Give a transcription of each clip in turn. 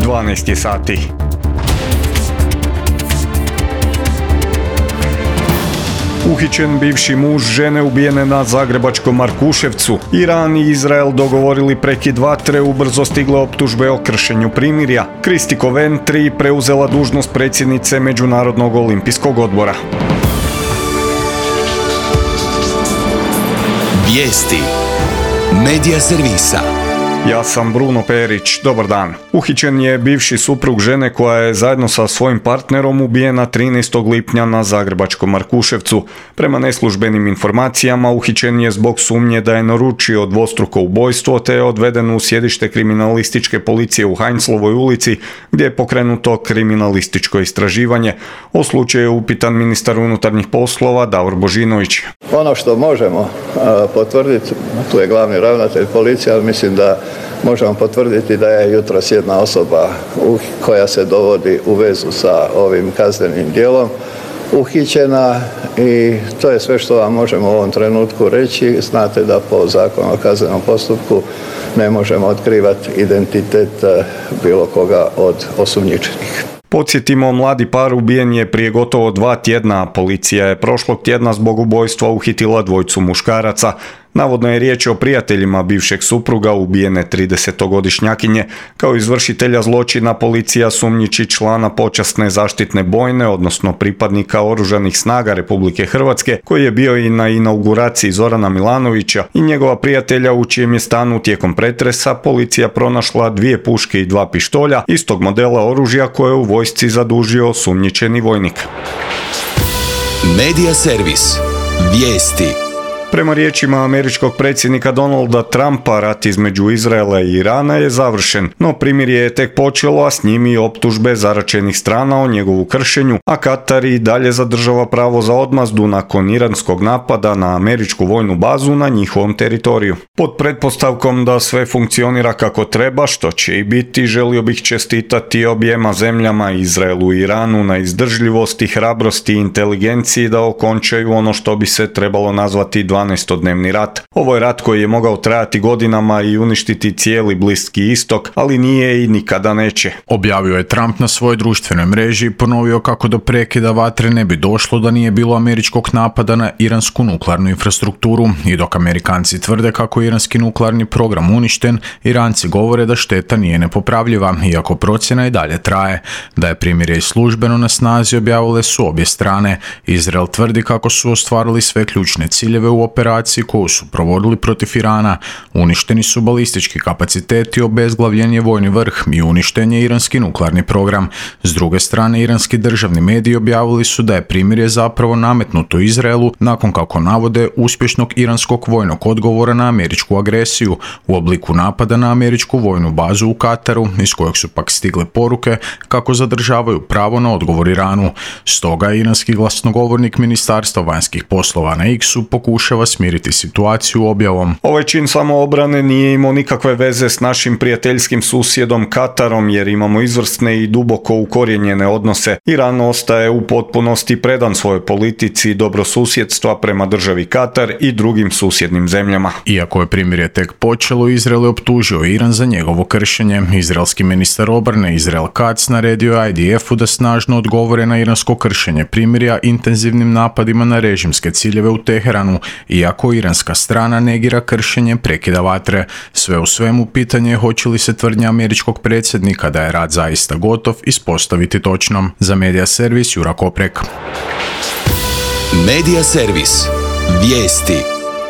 12 sati. Uhićen bivši muž žene ubijene na zagrebačkom Markuševcu. Iran i Izrael dogovorili prekid vatre, ubrzo stigle optužbe o kršenju primirja. Kristi Coventry preuzela dužnost predsjednice Međunarodnog olimpijskog odbora. Vijesti Medija servisa. Ja sam Bruno Perić, dobar dan. Uhićen je bivši suprug žene koja je zajedno sa svojim partnerom ubijena 13. lipnja na zagrebačkom Markuševcu. Prema neslužbenim informacijama uhićen je zbog sumnje da je naručio dvostruko ubojstvo te je odveden u sjedište kriminalističke policije u Heinzlovoj ulici gdje je pokrenuto kriminalističko istraživanje. O slučaju je upitan ministar unutarnjih poslova Davor Božinović. Ono što možemo potvrditi, tu je glavni ravnatelj policije, ali mislim da možemo potvrditi da je jutros jedna osoba koja se dovodi u vezu sa ovim kaznenim djelom uhićena i to je sve što vam možemo u ovom trenutku reći. Znate da po zakonu o kaznenom postupku ne možemo otkrivati identitet bilo koga od osumnjičenih. Podsjetimo, mladi par ubijen je prije gotovo 2 tjedna. Policija je prošlog tjedna zbog ubojstva uhitila dvojicu muškaraca. Navodno je riječ o prijateljima bivšeg supruga ubijene 30-godišnjakinje. Kao izvršitelja zločina policija sumnjiči člana počasne zaštitne bojne, odnosno pripadnika Oružanih snaga Republike Hrvatske, koji je bio i na inauguraciji Zorana Milanovića, i njegova prijatelja u čijem je stanu tijekom pretresa policija pronašla 2 puške i 2 pištolja istog modela oružja koje je u vojsci zadužio osumnjičeni vojnik. Medija servis. Vijesti. Prema riječima američkog predsjednika Donalda Trumpa, rat između Izraela i Irana je završen, no primirje je tek počelo, a s njim i optužbe zaračenih strana o njegovu kršenju, a Katar i dalje zadržava pravo za odmazdu nakon iranskog napada na američku vojnu bazu na njihovom teritoriju. Pod pretpostavkom da sve funkcionira kako treba, što će i biti, želio bih čestitati objema zemljama, Izraelu i Iranu, na izdržljivosti, hrabrosti i inteligenciji da okončaju ono što bi se trebalo nazvati 12-dnevni rat. Ovo je rat koji je mogao trajati godinama i uništiti cijeli Bliski istok, ali nije i nikada neće. Objavio je Trump na svojoj društvenoj mreži i ponovio kako do prekida vatre ne bi došlo da nije bilo američkog napada na iransku nuklearnu infrastrukturu. I dok Amerikanci tvrde kako je iranski nuklearni program uništen, Iranci govore da šteta nije nepopravljiva, iako procjena i dalje traje. Da je primirje službeno na snazi objavile su obje strane. Izrael tvrdi kako su ostvarili sve ključne ciljeve u operaciji koju su provodili protiv Irana. Uništeni su balistički kapaciteti, obezglavljen je vojni vrh i uništen je iranski nuklearni program. S druge strane, iranski državni mediji objavili su da je primirje zapravo nametnuto Izraelu nakon, kako navode, uspješnog iranskog vojnog odgovora na američku agresiju u obliku napada na američku vojnu bazu u Kataru, iz kojeg su pak stigle poruke kako zadržavaju pravo na odgovor Iranu. Stoga iranski glasnogovornik Ministarstva vanjskih poslova na X-u pokušava smiriti situaciju objavom. Ovaj čin samoobrane nije imao nikakve veze s našim prijateljskim susjedom Katarom, jer imamo izvrsne i duboko ukorijenjene odnose. Iran ostaje u potpunosti predan svojoj politici dobrosusjedstva prema državi Katar i drugim susjednim zemljama. Iako je primirje tek počelo, Izrael je optužio Iran za njegovo kršenje. Izraelski ministar obrane Israel Katz naredio je IDF-u da snažno odgovore na iransko kršenje primirja intenzivnim napadima na režimske ciljeve u Teheranu, iako iranska strana negira kršenje prekida vatre. Sve u svemu, pitanje je hoće li se tvrdnja američkog predsjednika da je rat zaista gotov ispostaviti točnom. Za Medija servis Jura Koprek. Medija servis. Vijesti.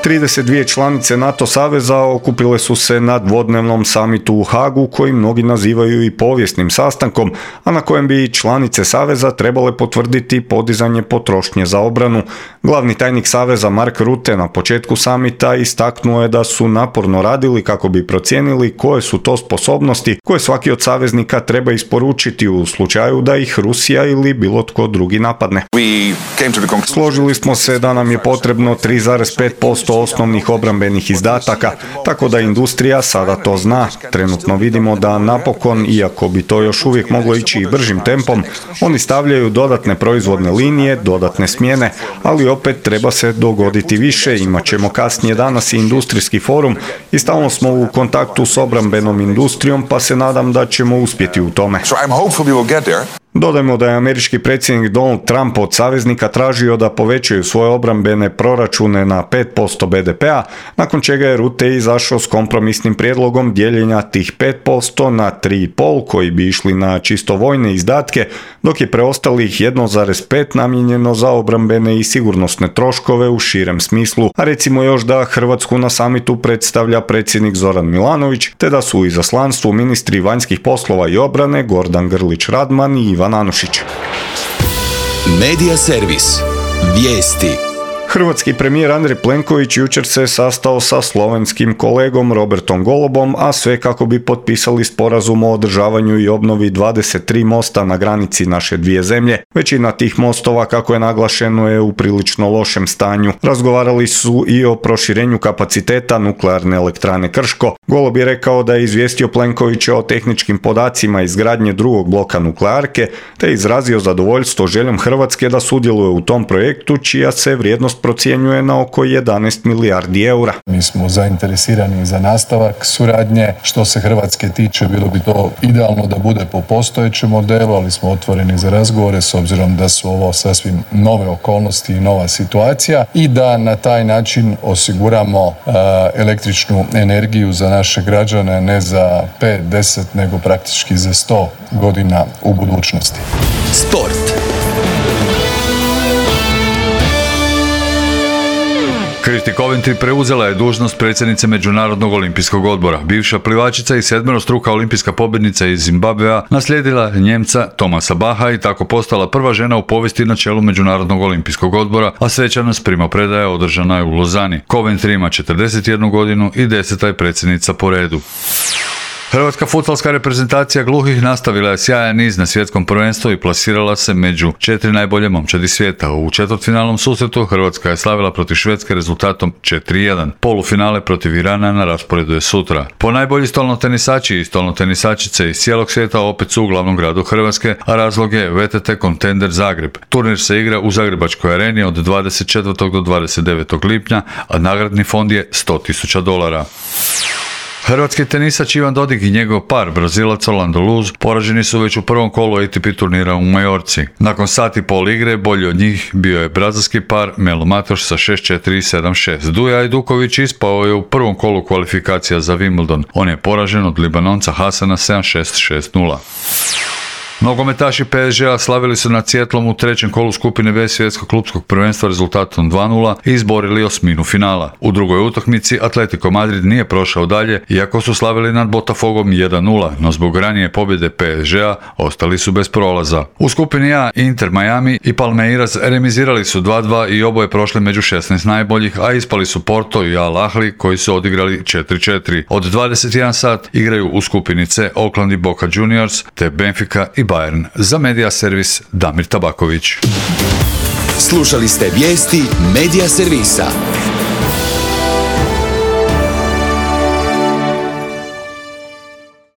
32 članice NATO saveza okupile su se na dvodnevnom samitu u Hagu, koji mnogi nazivaju i povijesnim sastankom, a na kojem bi članice saveza trebale potvrditi podizanje potrošnje za obranu. Glavni tajnik saveza Mark Rutte na početku samita istaknuo je da su naporno radili kako bi procijenili koje su to sposobnosti koje svaki od saveznika treba isporučiti u slučaju da ih Rusija ili bilo tko drugi napadne. Složili smo se da nam je potrebno 3,5% osnovnih obrambenih izdataka, tako da industrija sada to zna. Trenutno vidimo da napokon, iako bi to još uvijek moglo ići i bržim tempom, oni stavljaju dodatne proizvodne linije, dodatne smjene, ali opet treba se dogoditi više. Imat ćemo kasnije danas i industrijski forum i stalno smo u kontaktu s obrambenom industrijom, pa se nadam da ćemo uspjeti u tome. Dodajmo da je američki predsjednik Donald Trump od saveznika tražio da povećaju svoje obrambene proračune na 5% BDP-a, nakon čega je Rutte izašao s kompromisnim prijedlogom dijeljenja tih 5% na 3,5% koji bi išli na čisto vojne izdatke, dok je preostalih 1,5% namijenjeno za obrambene i sigurnosne troškove u širem smislu, a recimo još da Hrvatsku na samitu predstavlja predsjednik Zoran Milanović, te da su u izaslanstvu ministri vanjskih poslova i obrane Gordan Grlić Radman i Ivan Anušić. Medija servis. Vijesti. Hrvatski premijer Andrej Plenković jučer se sastao sa slovenskim kolegom Robertom Golobom, a sve kako bi potpisali sporazum o održavanju i obnovi 23 mosta na granici naše dvije zemlje. Većina tih mostova, kako je naglašeno, je u prilično lošem stanju. Razgovarali su i o proširenju kapaciteta nuklearne elektrane Krško. Golob je rekao da je izvijestio Plenkovića o tehničkim podacima izgradnje drugog bloka nuklearke, te izrazio zadovoljstvo željom Hrvatske da sudjeluje u tom projektu, čija se vrijednost procjenjuje na oko 11 milijardi eura. Mi smo zainteresirani za nastavak suradnje. Što se Hrvatske tiče, bilo bi to idealno da bude po postojećem modelu, ali smo otvoreni za razgovore s obzirom da su ovo sasvim nove okolnosti i nova situacija i da na taj način osiguramo električnu energiju za naše građane ne za 5, 10, nego praktički za 100 godina u budućnosti. Sport. Kristi Coventry preuzela je dužnost predsjednice Međunarodnog olimpijskog odbora. Bivša plivačica i sedmerostruka olimpijska pobjednica iz Zimbabvea naslijedila Njemca Thomasa Bacha i tako postala prva žena u povijesti na čelu Međunarodnog olimpijskog odbora, a svečanost primopredaje održana je u Lozani. Coventry ima 41 godinu i 10. je predsjednica po redu. Hrvatska fudbalska reprezentacija gluhih nastavila je sjajan niz na svjetskom prvenstvu i plasirala se među 4 najbolje momčadi svijeta. U četvrtfinalnom susretu Hrvatska je slavila protiv Švedske rezultatom 4:1. Polufinale protiv Irana na rasporedu je sutra. Po najbolji stolnotenisači i stolnotenisačice iz cijelog svijeta opet su u glavnom gradu Hrvatske, a razlog je VTT Contender Zagreb. Turnir se igra u Zagrebačkoj areni od 24. do 29. lipnja, a nagradni fond je $100.000. Hrvatski tenisač Ivan Dodig i njegov par, Brazilac Orlando Luz, poraženi su već u prvom kolu ATP turnira u Majorci. Nakon sat i pol igre, bolji od njih bio je brazilski par Melo Matoš sa 6-4 i 7-6. Duja Ajduković ispao je u prvom kolu kvalifikacija za Wimbledon. On je poražen od Libanonca Hasana 7-6, 6-0. Nogometaši PSG-a slavili su nad Sjetlom u trećem kolu skupine B svjetskog klupskog prvenstva rezultatom 2:0 i izborili osminu finala. U drugoj utakmici Atletico Madrid nije prošao dalje, iako su slavili nad Botafogom 1:0, no zbog ranije pobjede PSG-a ostali su bez prolaza. U skupini A Inter Miami i Palmeiras remizirali su 2:2 i oboje prošli među 16 najboljih, a ispali su Porto i Al Ahly koji su odigrali 4:4. Od 21 sat igraju u skupini C Oakland i Boca Juniors te Benfica i Bayern. Za Medija servis Damir Tabaković. Slušali ste vijesti Medija servisa.